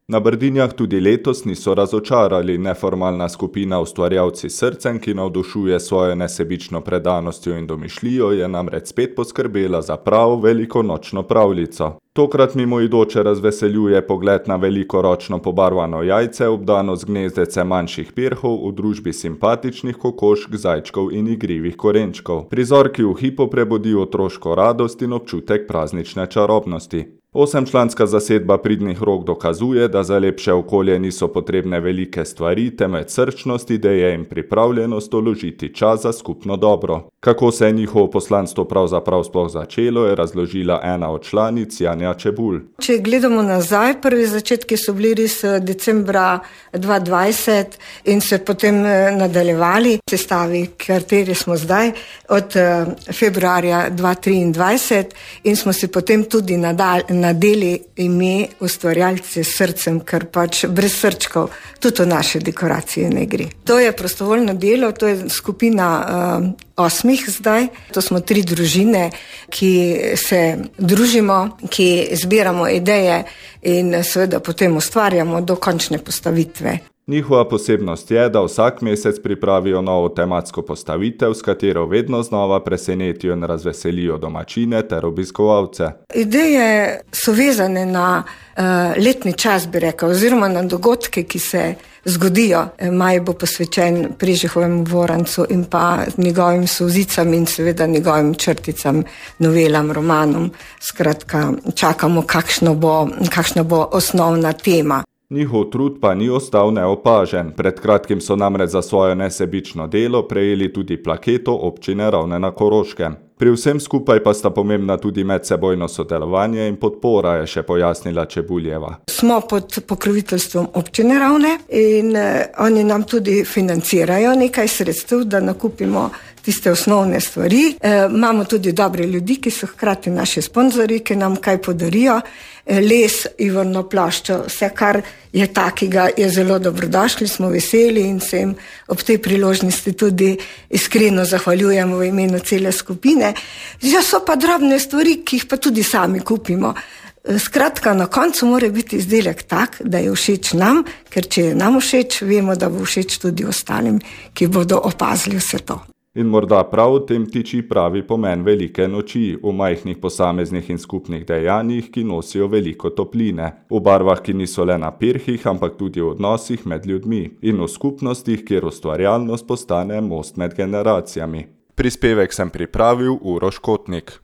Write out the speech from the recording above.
Na Brdinjah tudi letos niso razočarali. Neformalna skupina Ustvarjalci s srcem, ki navdušuje svojo nesebično predanostjo in domišljijo, je namreč spet poskrbela za pravo velikonočno pravljico. Tokrat mimoidoče razveseljuje pogled na velikoročno pobarvano jajce, obdano z gnezdece manjših pirhov v družbi simpatičnih kokošk, zajčkov in igrivih korenčkov. Prizor, ki v hipu prebudi otroško radost in občutek praznične čarobnosti. 8-članska zasedba Pridnih rok dokazuje, da za lepše okolje niso potrebne velike stvari, temveč srčnost, ideje in pripravljenost vložiti čas za skupno dobro. Kako se je njihovo poslanstvo pravzaprav sploh začelo, je razložila ena od članic, Janja Čebulj. Če gledamo nazaj, prvi začetki so bili res decembra 2020 in se potem nadaljevali v sestavi, kateri smo zdaj, od februarja 2023 in smo si potem tudi nadeli ime Ustvarjalci s srcem, ker pač brez srčkov tudi v naše dekoracije ne gre. To je prostovoljno delo, to je skupina 8 zdaj. To smo 3 družine, ki se družimo, ki zbiramo ideje in seveda potem ustvarjamo do končne postavitve. Njihova posebnost je, da vsak mesec pripravijo novo tematsko postavitev, s katero vedno znova presenetijo in razveselijo domačine ter obiskovalce. Ideje so vezane na letni čas, bi rekel, oziroma na dogodke, ki se zgodijo. Maj bo posvečen Prežihovemu Vorancu in pa njegovim solzicam in seveda njegovim črticam, novelam, romanom. Skratka, čakamo, kakšna bo osnovna tema. Njihov trud pa ni ostal neopažen. Pred kratkim so namreč za svoje nesebično delo prejeli tudi plaketo občine Ravne na Koroškem. Pri vsem skupaj pa sta pomembna tudi medsebojno sodelovanje in podpora, je še pojasnila Čebuljeva. Smo pod pokroviteljstvom občine Ravne in oni nam tudi financirajo nekaj sredstev, da nakupimo tiste osnovne stvari. Imamo tudi dobre ljudi, ki so hkrati naši sponzorji, ki nam kaj podarijo. Les, ivorno ploščo, vse kar je takega, je zelo dobrodošli, smo veseli in se jim ob tej priložnosti tudi iskreno zahvaljujemo v imenu cele skupine. Že so pa drobne stvari, ki jih pa tudi sami kupimo. Skratka, na koncu mora biti izdelek tak, da je všeč nam, ker če je nam všeč, vemo, da bo všeč tudi ostalim, ki bodo opazili vse to. In morda prav v tem tiči pravi pomen velike noči, v majhnih posameznih in skupnih dejanjih, ki nosijo veliko topline, v barvah, ki niso le na pirhih, ampak tudi v odnosih med ljudmi in v skupnostih, kjer ustvarjalnost postane most med generacijami. Prispevek sem pripravil Uroš Kotnik.